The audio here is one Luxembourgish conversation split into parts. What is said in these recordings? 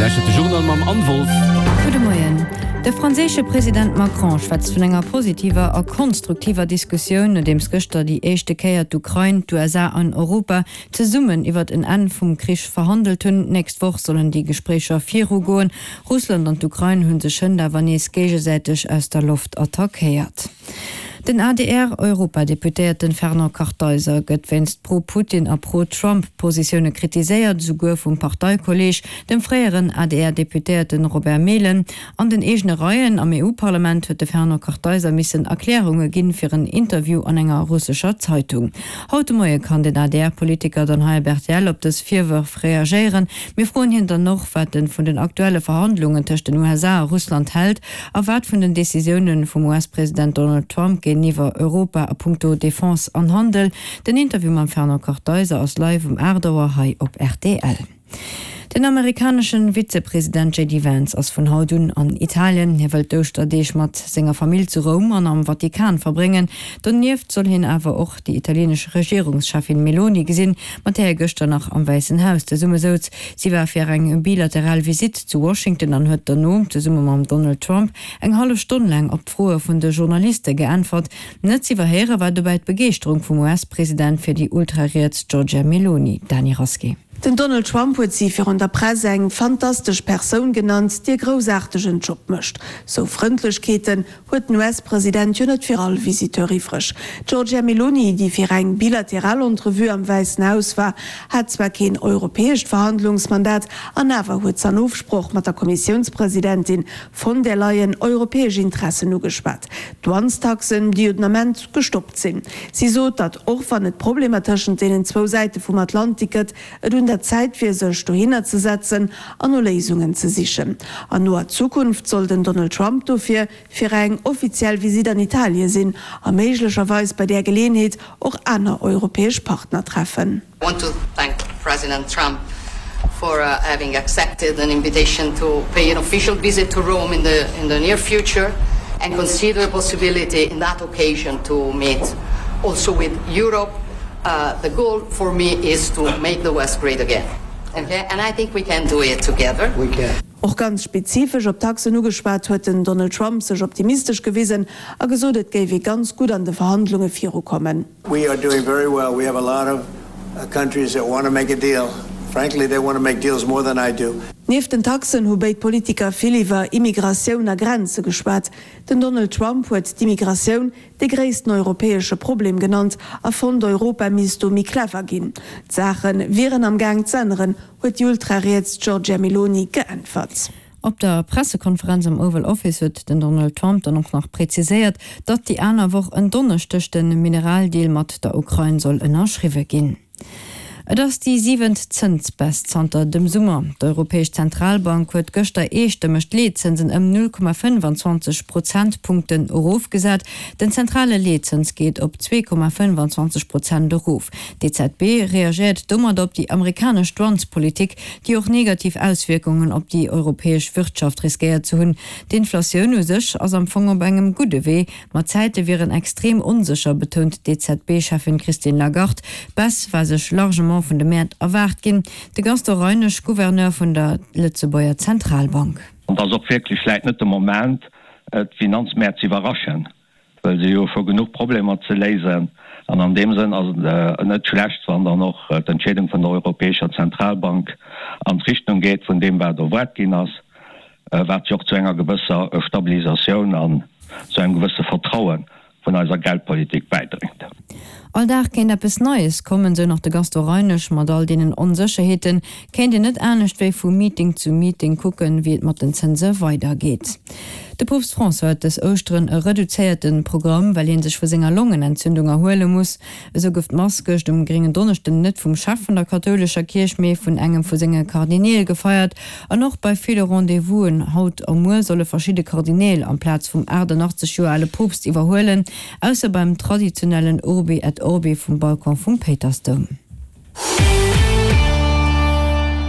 lauschtert de Journal mam Anne Wolff. Gudde Moien. De franséische President Macron schwätzt vun enger positiver a konstruktiver Diskussioun, nodeems gëschter déi éischte Kéier d'Ukrain, d'USA an Europa zesummen iwwert en Enn vum Krich verhandelt hunn. D'nächst Woch sollen déi Gespréicher virugoen. Russland an d'Ukrain hu sech hënt awer nees géigesäiteg aus der Loft attackéiert. Den ADR-Europadeputéierten Fernand Kartheiser gëtt wéinst Pro-Putin a Pro-Trump-Positioune kritiséiert, esouguer vum Parteikolleeg, dem fréieren ADR-Deputéierten Robert Mehlen. An den eegene Reien am EU-Parlament huet de Fernand Kartheiser missen Erklärunge ginn fir en Interview an enger russescher Zeitung. Haut de Moie kann den ADR-Politiker dann hei op rtl op dës Virwërf reagéieren. Mir froen hien dann och, wat en vun den aktuelle Verhandlungen tëscht den USA a Russland hält a wat vun den Decisioune vum US-President Donald Trump géintiwwer Europa a punkto Defense an Handel. Den Interview mam Fernand Kartheiser ass live um 8 Auer hei op rtl. Den amerikaneschen Vizepresident JD Vance ass vun haut un an Italien. Hie wëllt d'Ouschterdeeg mat senger Famill zu Roum an am Vatikan verbréngen. Donieft soll hien awer och déi italienesch Regierungscheffin Meloni gesinn, mat där hie gëschter nach am Wäissen Haus zesummesouz. Si war fir eng bilateral Visitt zu Washington an huet dono, zesumme mam Donald Trump, eng hallef Stonn laang op d'Froe vun de Journaliste geäntwert. Net z'iwwerhéiere war dobäi d'Begeeschterung vum US-President fir déi ultrariets Giorgia Meloni. Dany Rasqué. Den Donald Trump huet si virun der Press eng fantastesch Persoun genannt, déi e groussaartegen Job mécht. Sou Frëndlechkeeten huet den US-President jo net fir all Visiteur iwwreg. D'Giorgia Meloni, déi fir eng bilateral Entrevue am Wäissen Haus war, hat zwar keen europäescht Verhandlungsmandat, an awer huet s'an Ofsproch mat der Kommissiounspresidentin von der Leyen europäesch Interessen ugeschwat. D'Douanestaxen, déi jo den Ament gestoppt sinn. Si sot, datt och wann et Problemer tëschent deenen zwou Säite vum Atlantik gëtt, et un der Zäit wier sech dohinner ze setzen an no Léisungen ze sichen. An noer Zukunft soll den Donald Trump dofir fir eng offiziell Visitt an Italie sinn a méiglecherweis bei där Geleeënheet och aner europäesch Partner treffen. I want to thank President Trump for uh, having accepted an invitation to pay an official visit to Rome in the, in the near future and consider the possibility in that occasion to meet also with Europe. Uh, the goal for me is to make the West great again. Okay? And I think we can do it together. We can. Och ganz spezifesch op Taxen ugeschwat, huet den Donald Trump sech optimistesch gewisen a gesot, et géif ee ganz gutt an de Verhandlunge virukommen. We are doing very well. We have a lot of countries that want to make a deal. Frankly, they want to make deals more than I do. Nieft den Taxen hu béid Politiker vill iwwer Immigratioun a Grenze geschwat. Den Donald Trump huet d'Immigratioun dee gréissten europäesche Problem genannt a fonnt, Europa misst do méi clever ginn. D'Saache wieren am Gaang z'änneren, huet déi ultrariets Giorgia Meloni geäntwert. Op der Pressekonferenz am Oval Office huet den Donald Trump dann och nach präziséiert, datt déi aner Woch en Donneschdeg de Mineraldeal mat der Ukrain soll ënnerschriwwe ginn. Et ass déi siwent Zënsbaisse zanter dem Summer. D'Europäesch Zentralbank huet gëschter eestëmmeg d'Leetzënsen ëm 0,25 Prozentpunkten erofgesat. Den zentrale Leetzëns geet op 2,25 Prozent erof. D'EZB reagéiert domat op déi amerikanesch Douanespolitik, déi och negativ Auswierkungen op déi europäesch Wirtschaft riskéiert ze hunn. D'Inflatioun u sech ass am Fong op engem gudde Wee, ma d'Zäite wieren extrem onsécher, betount d'EZB-Cheffin Christine Lagarde. D'Baisse war sech largement vun de Mäert erwaart ginn. De Gaston Reinesch, Gouverneur vun der Lëtzebuerger Zentralbank. An et ass och wierklech vläit net de Moment, d'Finanzmäert z'iwwerraschen. well se hu scho genuch Problemer ze léisen. An an deem Sënn ass et net schlecht, wann dann och d'Entscheedung vun der Europäescher Zentralbank an d'Richtung geet vun deem, wat erwaart ginn ass, wat jo och zu enger gewësser Stabilisatioun an zu engem gewësse Vertraue vun eiser Geldpolitik bäidréit. All Dag kéint eppes Neies kommen, sou nach de Gaston Reinesch. Mat all deenen Onsécherheete kéint een net anescht wéi vu Meeting zu Meeting kucken, wéi et mat den Zënse weidergeet. De Poopst François huet dës Ouschteren e reduzéierte Programm, well hie sech vu senger Longenentzündung erhuele muss. Esou gouf d'Mass gëscht um gréngen Donneschden net vum Chef vun der kathoulescher Kierch, mee vun engem vu senge Kardineel gefeiert. An och bei ville Rendez-vousen haut a muer solle verschidde Kardineel amplaz vum 88 Joer ale Poopst iwwerhuelen. Ausser beim traditionellen Urbi et Orbi vum Balcon vum Péitersdoum.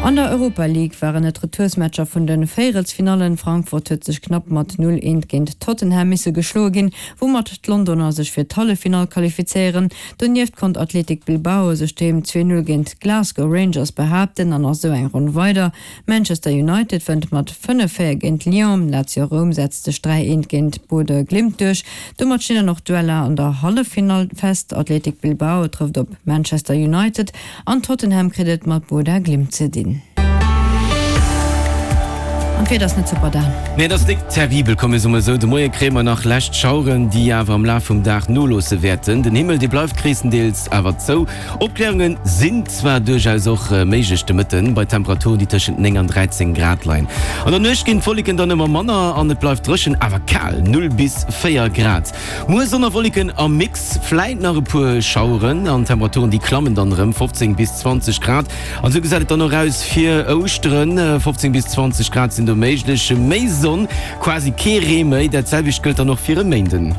An der Europa League waren et Retoursmatcher vun de Véierelsfinallen. Frankfurt huet sech knapp mat 0, 1 géint Tottenham misse geschloe ginn, woumat d'Londoner sech fir d'Halleffinall qualifizéieren. Donieft konnt Athletic Bilbao sech doheem 2, 0 géint d'Glasgow Rangers behaapten an ass esou eng Ronn weider. Manchester United wënnt mat 5, 4 géint Lyon. Lazio Roum setzt sech 3, 1 géint Bodø Glimt duerch. Domat stinn dann och d'Dueller an der Halleffinall fest. Athletic Bilbao trëfft op Manchester United an Tottenham kritt et mat Bodø Glimt ze dinn. An d'Wieder ass net super, Dan. Nee, et ass nik terribel, komm mir soe mol esou. De Moie kréie mer nach lescht Schaueren, déi awer am Laf vum Dag noloosse wäerten. Den Himmel, dee bleift gréisstendeels awer zou. Opkläerunge sinn zwar duerchaus och méiglech de Mëtten, bei Temperaturen, déi tëschent 9 an 13 Grad leien. An der Nuecht ginn d'Wolleken dann ëmmer manner an et bleift dréchen, awer kal, 0 bis 4 Grad. Muer Sonn a Wolleken am Mix, vläit nach e puer Schaueren an d'Temperaturen déi klammen dann erëm, 15 bis 20 Grad. An esou gesäit et dann och aus fir Ouschteren, 15 bis 20 Grad sinn do méiglech, méi Sonn, quasi kee Ree méi. Dat selwecht gëllt dann och fir e Méinden.